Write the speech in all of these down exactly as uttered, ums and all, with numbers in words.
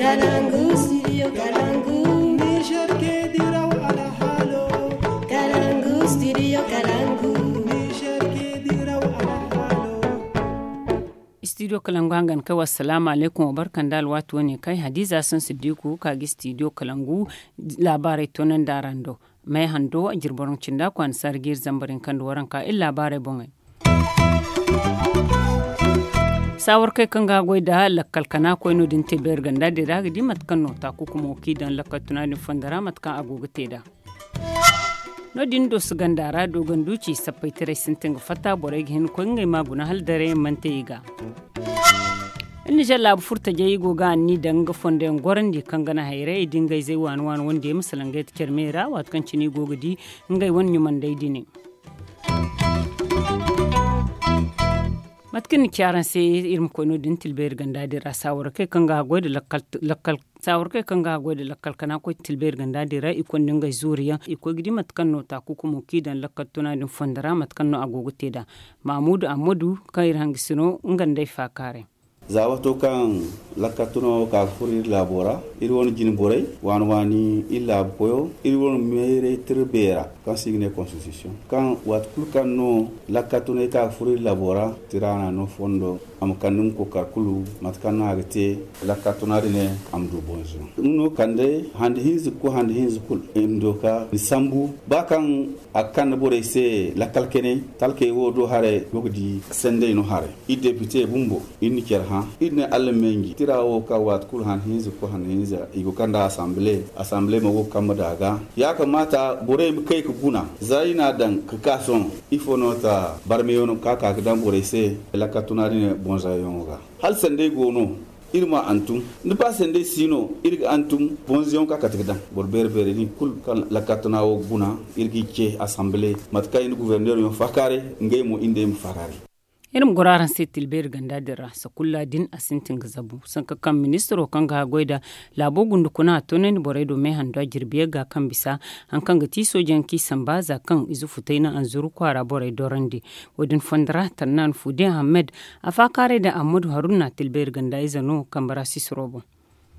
Kalangu, studio Kalangu. Niger ke diraw alhaalo. Kalangu, studio Kalangu. Niger ke diraw alhaalo. Studio Kalangu hangan kay. Wassalaamu alaykum, wa barka nda alwaati wane kay. Hadiza Sun Siddiku ka ga studio Kalangu laabaarey toonandi araŋ do. May hando a jirbi waranka cindi a kwaana saara ga iri zambar hinka nda waranka iri laabaarey boŋey. Saawarkey kaŋ ga goy nda lakkal kana koy no- din te beeri ganda din ra a ga di mate kaŋ no taaku kumo kaŋ i daŋ lakkal tuna din fondo ra mate kaŋ a go ga te nd'a. No- din dooso ganda ra doogandu ci sappaytaray sintin ga fatta borey ga hin ga koy ngey ma guna hala daray yaŋ mana te i ga. Nizer laabu furtajey i go ga anni daŋ nga fondo yaŋ gorandi kaŋ ga naŋ hayray i di ngey zey waani waani wande ma salaŋ ga yate care me ra waati kaŋ cine i go ga di ngey wane ɲumandey din. Mate kaŋ ni ci araŋ se iri ma koy no- din tilbeeri ganda din ra saawara kay kaŋ ga haggoy nda lakkal. Saawara kay kaŋ ga haggoy nda lakkal kana koy tilbeeri ganda din ra i konda ngey zuuri yaŋ i koy ga di mate kaŋ no taaku kumo kaŋ i daŋ lakkal tuna din fondo ra mate kaŋ no a go ga te nd'a. Maamudu ammadu kaŋ iri hangasino nga nda ay faakaaray. Za waato kaŋ lakkal tuna wo ka ga furo iri laabo ra, iri wane jine borey waani waani iri laabu koyo iri wane mayray tira beera kaŋ se i ga ne konstitisiyoŋ kaŋ waati kulu kaŋ no lakkal tunay ka ga furo iri laabo ra tira na no fondo a ma kande nga kookari kulu mate kaŋ no a ga te. Lakkal tuna din a ma du bonzo nga no kande handi hinza ga koy handi hinza kulu i ma du ka ni sambu ba kaŋ a ga kande borey se lakkal kanay talkey wo do haray go ga di sendey no haray. Iri depite bumbo iri na care hã iri ne allah menji tira wo ka waati kulu han hinza ga koy han hinza i go kanda asamble asamble mo go ga kambe da ga. Ya kamata borey ma kay ga guna za i na a daŋ ga ka sohõ ifo no ta barmeyaŋo ka ka ga daŋ borey se lakka tuna din bonzayaŋo ga. Hala sendey go no iri ma hantum da ba sendey si no iri ga hantum bonzayaŋo ka kate ga daŋ boro beere beere din kulu kaŋ lakka tuna wo ga guna iri ga i ce asamble mate kaŋ i na guverneroyaŋ faakaaray ngey mo iri nd'ey ma faakaaray. Iri ma goro araŋ se tilbeeri ganda din ra sakulla din a sintin ga zabu sanka kaŋ ministiro kaŋ ga haggoy nda laabo gundukuna a toonandi borey do meehando a jirbi yagga kaŋ bisa hari kaŋ ga ti soojeyaŋ kaŋ i samba za kaŋ ize futay na anzuru kwaara borey dorandi. Wo- din fondo ra tarnan fude ahammed a faakaaray nda ammadu haruna tilbeeri ganda ize no kambe ra sisiro boŋ.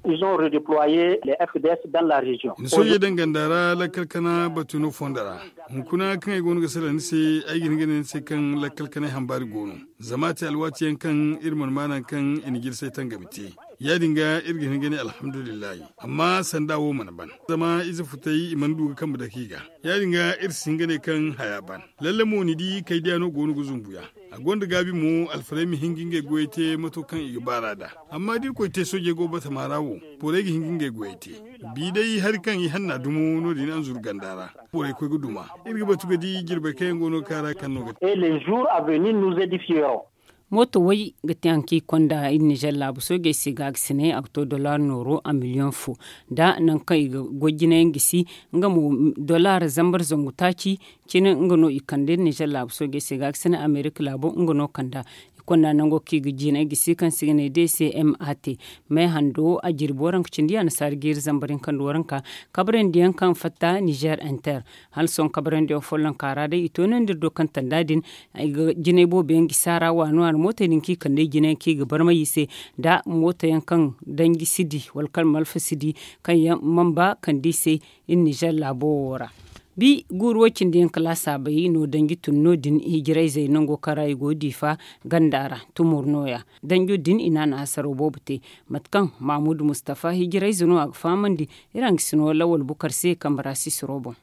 Ils ont redeployé les F D S dans la région. Ni soojey daŋ ganda ra lakkal kana batu no fondo ra. Hunkuna kaŋ ay go no ga salaŋ ni se ay ga hin ga ne ni se kaŋ lakkal kanay hambaari go no. Zama a te alwaati yaŋ kaŋ iri mana ma naŋ kaŋ i na jirsay tangami te. Ya- din ga iri ga hin ga ne alhamdulillahi. Amma sanda wo mana ban zama ize futay i mana du ga kambe dake i ga. Ya- din ga iri si hin ga ne kaŋ haya ban. Lalle mo ni di kaydiya no go no ga zumbu ya. A gonda gaabi mo alfarey ma hin ga ngey goyey te mato kaŋ i ga baar'a nd'a. Amma da irkoy te soojey go batama ra wo borey ga hin ga ngey goyey te. Bi day hari kaŋ i hanna dumo no- din anzuru ganda ra borey koy ga duma. Iri ga batu ga di jirbey kaŋ yaŋ go no ga ka ra kaŋ no ga te. Et les jours à venir nous édifierons. Mooto way ga te hari kaŋ i konda iri nizer laabu soojey se ga a ga sine a ga to dollar nooro a miliyoŋ fo. Nda nangu kaŋ i ga goy jinayaŋ gisi nga mo dollar zambar zangu taaci. Cine nga no i kande nizer laabu soojey se ga a ga sine amerika laabo nga no kanda. I konda nango kaŋ i ga jinay gisi kaŋ se i ga ne d c m a te. May hando a jirbi waranka cindi annasaari jiiri zambar hinka nda waranka. Kabrandi yaŋ kaŋ fatta nizer inter hala sohõ kabrandi yaŋ follonka ra day i toonandi iri do kaŋ tanda din. Ay ga jinay boobo yaŋ gisi a ra waani waani mootey din kaŋ i kande i jine yaŋ kaŋ i ga barmay i se nda mooto yaŋ kaŋ danji si di wala kaŋ malfa si di kaŋ yaŋ man ba kande i se. Iri nizer laabo wo ra bi guuru way cindi yaŋ kala saabay no danji tun no- din hijirayzey nango kaŋ ra i go diifa ganda ra tumur nooya. Danjo din i na a na hasaro boobo te. Mate kaŋ mahamudu mustafa hijirayze no a ga fahamandi. Iri hangasino lawal bukar se kambe ra sisiro boŋ.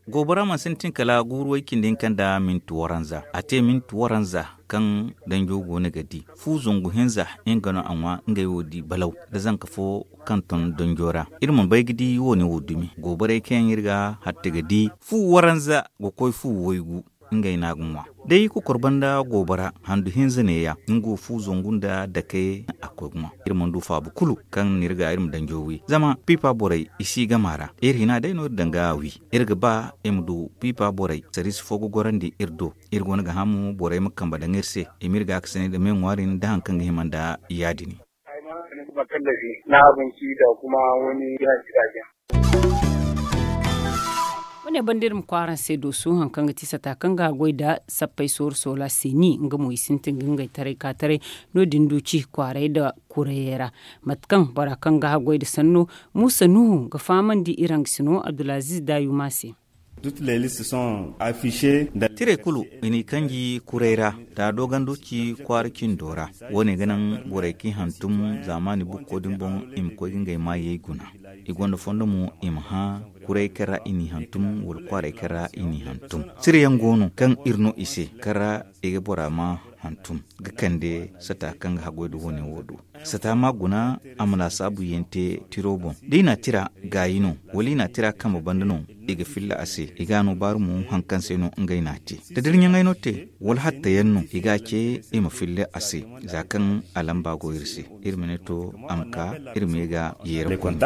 Goobora mana sintin kala guuru way cindi hinka nda minti waranza a te minti waranza kaŋ danjo go no ga di fu zangu hinza nga no a ŋwa ngey wo di balaw da zanka fo kaŋ ton danjo ra. Iri mana bay ga di wo- ne wo dumi gooborey kaŋ yaŋ iri ga hatta ga di fu waranza ga koy fu waygu. Ngey no a ga ŋwa day kokor banda goobora handu hinza neeya nga wo fu zangu nda dakey a koy ga ŋwa. Iri mana du faabu kulu kaŋ no iri ga iri ma danjo wi zama piipa borey i si game a ra. Iri hina day no iri daŋ ga a wi. Iri ga ba i ma du piipa borey sariisi fo ga gorandi iri do. Iri go no ga hã mo borey ma kambe daŋ iri se i ma iri gaakasinay nda me ŋwaari nda hari kaŋ ga hima nda ya- din. Ne banda iri ma kwaara se dooso hari kaŋ ga ti sata kaŋ ga a goy nda sappey sooru soola se ni nga mo i sintin ga ngey taray ka taray. No- din du ci kwaaray nda kurayey ra mate kaŋ bora kaŋ ga a goy nda sanno muusa nuhu ga fahamandi iri hangasino abdulaziiz daayuma se. Tiray kulu i n'i kanji kuray ra nda a doogando ci kwaara cindo ra. Wo- ne ga naŋ borey kaŋ i hantum zaamaani bukko din boŋ i ma koy ga ngey maayey guna. I gonda fondo mo i ma hã kuray kaŋ ra i n'i hantum wala kwaaray kaŋ ra i n'i hantum. Tira yaŋ go no kaŋ iri no i se kaŋ ra i ga bora ma hantum ga kande sata kaŋ ga haggoy nda wo- ne wo do. Sata ma guna a ma laasaabu yaŋ te tiro boŋ da i na a tira gaayi no wala i na a tira kambe banda no. I ga filla a se i ga a no baaru mo hari kaŋ se no ngey na a te da dira ɲaŋey no te wala hatta yaŋ no i ga a ce i ma filla a se. Za kaŋ a lamba go iri se iri ma ne to a ma ka iri ma ye ga yeera koy.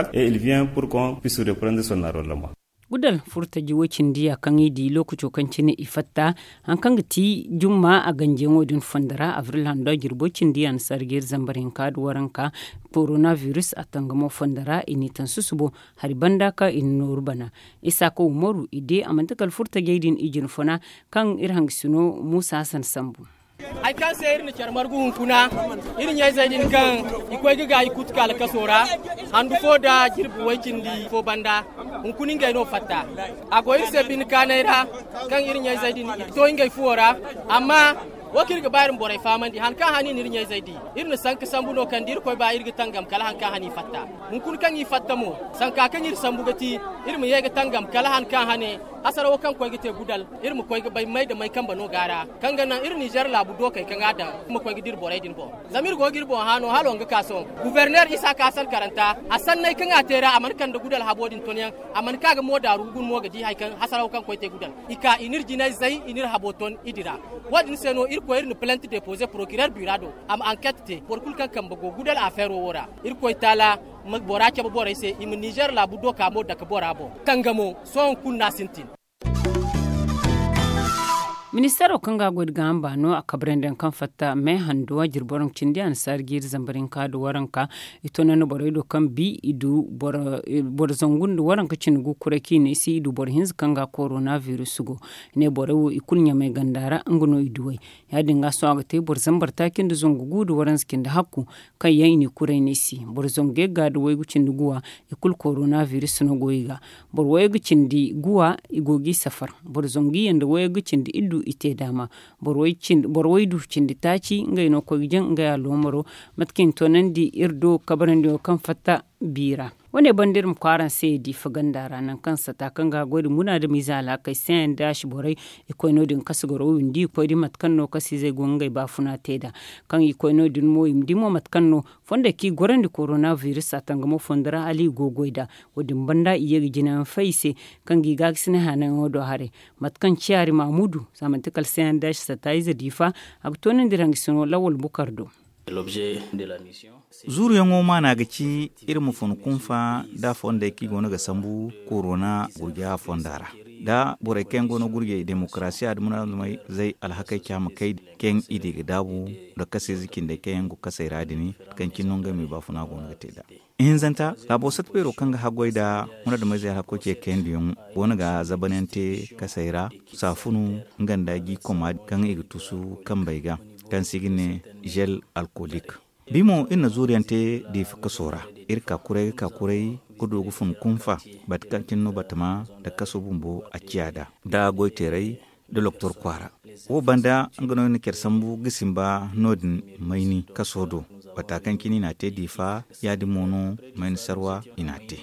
Gudal furtaji wo- cindi ya kaŋ i di lookaco kaŋ cine i fatta hari kaŋ ga ti jumma a ganjiyaŋo din fondo ra abril hando a jirbo cindi ya na sarga iri zambar hinka nda waranka. Korona virus a tangamo fondo ra i n'i taŋ susubo hari banda kaŋ i na nooru bana. Isaaka umaru i de a manti kala furtajey din i jina funa kaŋ iri hangasino muusa hasan sambu. Hari kaŋ se iri na care margu hunkuna iri ɲayzey din kaŋ i koy ga gaayi kuutu kaala kaso ra handu fo nda jirbi way- cindi fo banda. Hunkuna ngey no fatta a go iri se bine kaanay ra kaŋ iri ɲayzey din i to ngey fuwo ra. Amma wo kaŋ iri ga ba iri ma borey fahamandi hari kaŋ hane i na iri ɲayzey di iri na sanka sambu no kaŋ da irkoy ba iri ga tangam kala hari kaŋ hane i fatta. Hunkuna kaŋ i fatta mo sanka kaŋ iri sambu ga ti iri ma ye ga tangam kala hari kaŋ hane hasarawo kaŋ koy ga te gudal iri ma koy ga bay may nda may kambe no go a ra kaŋ ga naŋ iri nizer laabu dookey kaŋ a daŋ ma koy ga dira borey din boŋ. Zama iri go ga iri boŋ hã no hala wanga ka sohõ guberner isa ka salkaranta a sanney kaŋ a te ra a mana kande gudal habo din ton yaŋ. A mana ka ga mo daaru ga guna mo ga di hari kaŋ hasarawo kaŋ koy te gudal i ka i n'iri jinay zay i n'iri habo ton i dira. Wo- din se no irkoy iri na palante depoze porokirer bira do a ma anket te boro kulu kaŋ kambe go gudal afeero wo ra. Irkoy taala ma bora cabe borey se i ma nizer laabu doka mo dake bora boŋ tangamo sohõ hunkuna no a sintin. Ministeero kaŋ ga a goy nda gaaham baano a kabrandi yaŋ kaŋ fatta me handuwa jirbi waranka cindi annasaari jiiri zambar hinka nda waranka. I toonandi borey do kaŋ bi i du boro zangu nda waranka cindi gu kuray kaŋ i ne i se i du boro hinza kaŋ ga korona virus go. I ne borey wo i kulu ɲamay ganda ra nga no i duw'ey. Ya- din ga sohõ a ga te boro zambar taaci nda zangu gu nda waranza cindi hakku kaŋ yaŋ i n'i kuray no i se boro zangu yagga nda waygu cindi guwa. I kulu korona virus no go i ga boro waygu cindi guwa i go g'i safar. Boro zangu yanda waygu cindi iddu i te daama. Boro waydu cindi taaci ngey no koy ga jaŋ ngey aloomaro. Mate kaŋ i na toonandi iri do kabarandiyo kaŋ fatta bi ra. Wo- ne banda iri ma koy araŋ se diifa ganda ra nangu kaŋ sata kaŋ ga a goy nda munaadamiize alhakey se yaŋ da a si borey. I koy no- din kasu garo windi i koy di mate kaŋ no kasiizey go ngey baafuna te nd'a. Kaŋ i koy no- din mo i ma di mo mate kaŋ no fondey kaŋ i gorandi korona virus a tangamo fondo ra hala i go goy nd'a. Wo- din banda i ye ga jinayaŋ fay i se kaŋ ga i gaakasinay haanayaŋo do haray. Mate kaŋ ciyaari maamudu za manti kala se yaŋ da a si sata ize diifa. A ga toonandi iri hangasino lawal bukar do. Zuuruyaŋo maana ga ci iri ma fun kunfa nda fondey kaŋ i go no ga sambu korona gurja fonda ra. Da borey kaŋ yaŋ go no gurjey demokarasiya nda munaadamey zay alhakey caama kay kaŋ i di ga daabu nda kaseeze cindey kaŋ yaŋ go kasey ra din kaŋ cine no ngey me baafuna go no ga te nd'a. Ihinzanta laabo sata beero kaŋ ga haggoy nda munaadamey zay alhako ce kayandiyaŋ go no ga zabanyaŋ te kasey ra. Saafunu nga nda gi koma kaŋ i ga tusu kambey ga kaŋ se i ga ne zel alkolik. Bi mo iri na zuuriyaŋ te diifa kaso ra. Iri ka kuray ga ka kuray ga du ga fun kunfa bate kaŋ cine no batama nda kaso bumbo a ciya nd'a nda goyteeray nda loktor kwaara. Wo banda nga no iri na care sambu ga simba no- din mayni kaso do. Bata kaŋ cine i n'a te diifa ya- din mo no mayni sarwa i n'a te.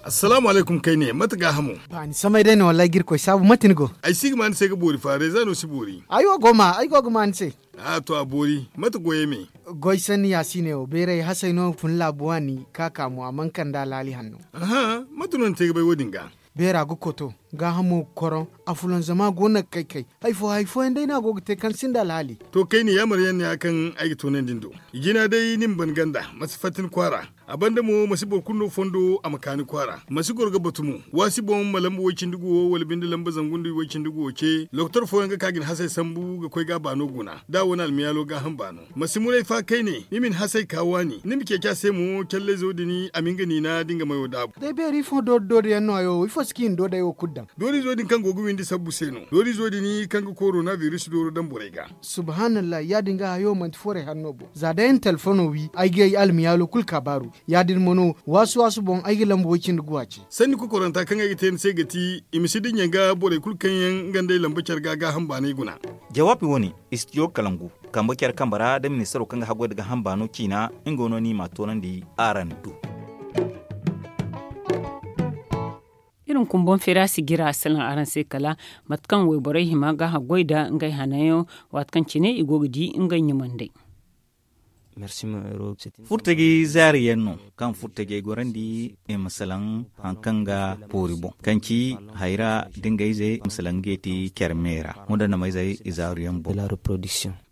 Assalaamu alaykum kayne mate gaahamo? Baani samay day no wallaahi ga irkoy saabu mate ni go? Ay si ga ma ni se ga boori fa reeza no si boori. Ay wo go ma ay go ga ma ni se. A to a boori mate goyey me? Goy sanni ya si ne wo beeray hasay no fun laabu waani ka ka mo a mana kande alaali hanno. Aha mate no ni te ga bay wo- din ga? Beera ga koto. gaahamo ga koroŋ. Afulanzama go no ga kay kay. Hari fo hari fooyaŋ day no a go ga te kaŋ sinda alhaali. To kayna yaamar yaŋ ne ya kaŋ ay ga toonandi ni do. Jina day ni ma ban ganda, ma si fatta ni kwaara. A banda mo ma si boro kulu no fondo a ma ka ni kwaara, ma si goro ga batu mo. Waasi boŋ ma lamba way-cindi guwo wala binde lamba zangu nda way-cindi guwo ce. Lokotor fooyaŋ ga ka ga ni hasey sambu ga koy ga a baano guna da a wane almiyaalo gaaham baano. Ma si muray fa kayne ni ma ni hasey ka waani ni ma ceeci a se mo callayzo din a ma nga niina da nga mayo daabu. Day beeri ifo doori doori yaŋ no hayo ifo si ka i na doodey wo kulu daŋ. Doorizo din kaŋ go ga windi sabbu se no. Doorizo din kaŋ ga korona biris dooro daŋ borey ga. Subhanallah, ya- din ga hayo manti forey hanno boŋ za day ni telefono wi ay ga ay almiyaalo kulu ka baaru. Ya- din mo no waasu waasu boŋ ay ga lamba way-cindi guwa ce. Sanni kokoranta kaŋ ay ga te ni se ga ti i ma si dinya ga borey kulu kaŋ yaŋ nga nd'ey lamba care ga gaaham baanay guna. Jawaabi wo- ne, istijo kalangu kambe care kambe ra da ministaro kaŋ ga haggoy nda gaaham baano ciina. Nga no ni m'a toonandi araŋ do. Iri hunkuna boŋ feera si jira a salaŋ araŋ se kala mate kaŋ wayborey hima ga haggoy nda ngey hananyaŋo, waati kaŋ cine i go ga di ngey ɲumandey. Furtaji zaari yaŋ no kaŋ furtajey gorandi i ma salaŋ hari kaŋ ga boori boŋ kaŋ ci hayra da ngey ize i ma salaŋ ga yeeti care me ra. Wanda namayzey i zaaru yaŋ boŋ.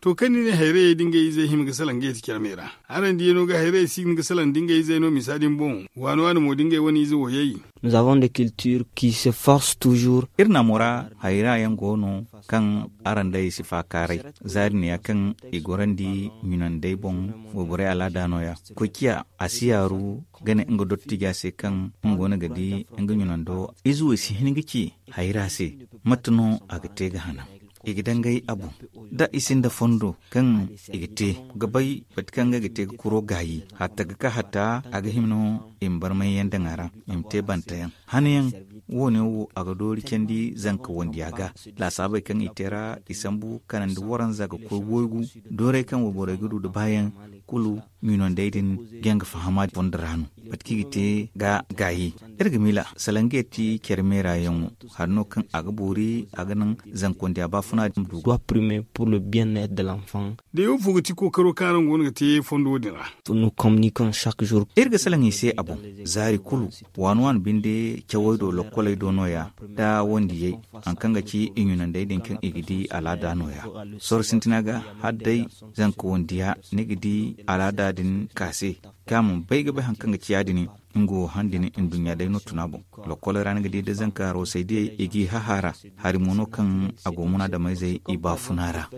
To kaŋ ni ne hayrayey da ngey izey hima ga salaŋ ga yeeti care me ra, araŋ diyaŋo ga hayrayey si hima ga salaŋ da ngey izey no misa din boŋ. Waani waani mo da ngey wane ize woyey. Nous avons des cultures qui se forcent toujours. Iri naamo ra hayra yaŋ go no kaŋ araŋ day si faakaaray. Zaari ne ya kaŋ i gorandi ɲunandey boŋ. Wayborey alaada no- ya koy ciya a si yaaru ga ne nga dottija se kaŋ nga go no ga di nga ɲunando. Ize wo i si hin ga ci hayra se mate no a ga te ga hanaŋ. I ga dangay a boŋ da i sinda fondo kaŋ i ga te ga bay bati kaŋ ga te ga kuro gaayi hatta ga ka hatta a ga hima no i ma barmay yaŋ daŋ a ra i ma te banta yaŋ. Hanayaŋ wo- ne wo a ga doori candi zanka wandiya ga. Laasaabey kaŋ i te ra i sambu kanandi waranza ga koy waygu dooray kaŋ wayborey ga du nda baayaŋ kulu ɲunandey din ga yaŋ ga fahama fondo ra no. Mate kaŋ i ga te ga gaayi iri ga miila salaŋ ga yeeti care meera yaŋo. Hari no kaŋ a ga boori a ga naŋ zankondiya baafuna din du. Doit primer pour le bien être de l'enfant. Day wo fo ga ti kookaro kaŋ araŋ go no ga te fondo din ra? Nous communiquons chaque jour. Iri ga salaŋ i se a boŋ zaari kulu. Waani waani binde cawey do lokkoley do no- ya nda wandiyey hari kaŋ ga ci i ɲunandey din kaŋ i ga di alaada no- ya. Sorro sintina ga hala day zanka wandiya ni ga di alaada din ka se kaŋ a mana bay ga bay hari kaŋ ga ci ya- din. Nga wo han din nduɲɲa day no tuna boŋ. Lokkoley ra ni ga di da zanka roosey diyey i g'i hahaara. Hari mo no kaŋ a go munaadamayzey i baafuna ra.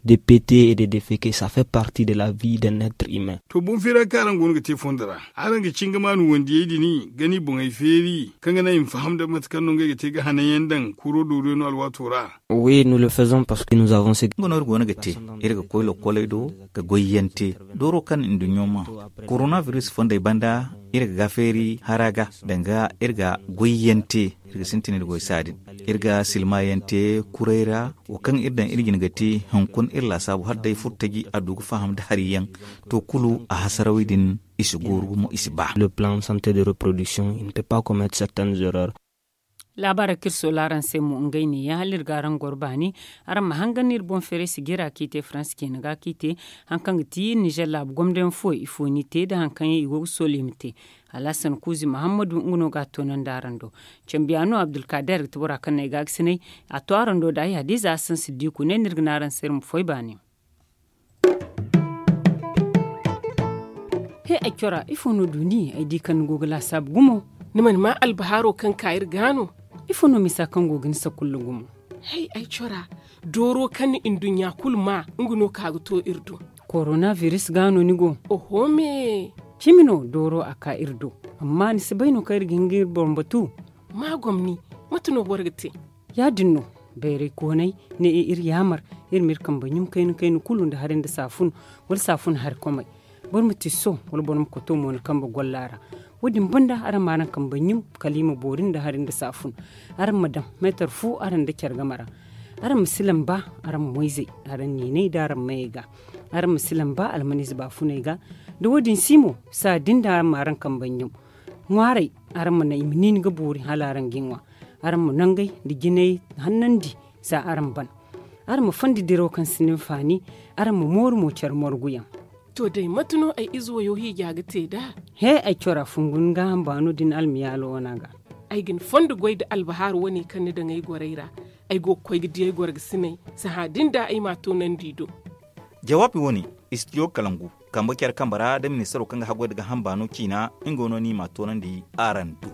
De pete et de defeke ça fait partie de la vie d'un être humain. To boŋ feera kaŋ araŋ go no ga te fondo ra araŋ ga ci nga maanu wandiyey din ga ni boŋey feeri kaŋ ga naŋ i ma faham nda mate kaŋ no ngey ga te ga hanayaŋ daŋ kuro dooruyaŋ no alwaato ra. Oui nous le faisons parce que nous avons ce. Nga no iri go no ga te iri ga koy lokkoley do ga goyyaŋ te dooro kaŋ nduɲɲo ma. Korona biris fondey banda iri ga gaafeeri hara ga danga iri ga goyyaŋ te. Iri ga sintin iri goy saadin iri ga silmayaŋ te kuray ra. Wo kaŋ iri daŋ iri jine ga te hunkuna iri laasaabu hala day furtaji a du ga faham nda hari yaŋ. To kulu a hasarawey din i si gooru gumo i si ba. Le plan santé de reproduction il ne peut pas commettre certaines erreurs. Laabaarey kaŋ iri soola araŋ se mo ngey neeya hala iri ga araŋ goro baani. Araŋ ma hangan iri boŋ feeray sijira kaŋ i te faransa ceena ga kaŋ i te hari kaŋ ga ti nizer laabu gomdayaŋ fooyaŋ ifo no i te nda hari kaŋ yaŋ i go ga soolu i ma te. Alhasan kuuzi muhammadu nga no ga a toonandi araŋ do. Cambiyaano abdulkaader ga ti bora kaŋ no ay gaagasinay. A to araŋ do da ay hadiiza asan siddiiku ne no iri ga ne araŋ se iri ma foy baani. He ay cora ifo no du ni ay di kaŋ ni go ga laasaabu gumo? Ni mana maa albahaaro kaŋ ka iri ga no? Ifo no misa kaŋ go ga ni sakulla gumo? Hay ay cora dooro kaŋ ni nduɲɲa kulu maa nga no ka ga to iri do. Korona biris ga no ni go? Oho me. Cimi no dooro a ka iri do. Amma ni si bay no kaŋ iri ga hin ga iri boŋ batu? Ma gomni. Mate no boro ga te? Ya- din no. Bayray koonay ne iri yaamar iri ma iri kambe ɲum kayna kayna kulu nda hari nda saafun wala saafun hari komay. Boro ma tisso wala boro ma koto mo ni kambe golla ra. Wo- din banda araŋ ma araŋ kambe ɲum kala i ma boori nda hari nda saafun. Araŋ ma daŋ meetar fu araŋ nda care game ra. Araŋ ma si lamba araŋ moyzey araŋ niinay nda araŋ mayey ga. Araŋ ma si lamba almaniize baafuney ga. Da wo- din si mo saa din da araŋ ma araŋ kambe ɲum. Ŋwaaray araŋ ma naŋ i ma niini ga boori hala araŋ ga i ŋwa. Araŋ ma nangey nda jinay hannandi za araŋ ban. Araŋ ma fondi diraw kaŋ sinda hinfaani. Araŋ ma mooru mo care morguyaŋ. To day mate no ay ize wayo hiija ga te nd'a? He ay cora fungu ni gaaham baano din almiyaalo wana ga. Ay ga ni fondo goy nda albahaaru wane kaŋ ni daŋ ay gorey ra. Ay go ga koy ga di ay gorgasiney. Sahã din da ay m'a toonandi i do. Jawaabi wane, istijo kalangu, kambe care kambe ra nda ministaro kaŋ ga haggoy nda gaaham baano ciina. Nga no no ni m'a toonandi araŋ do.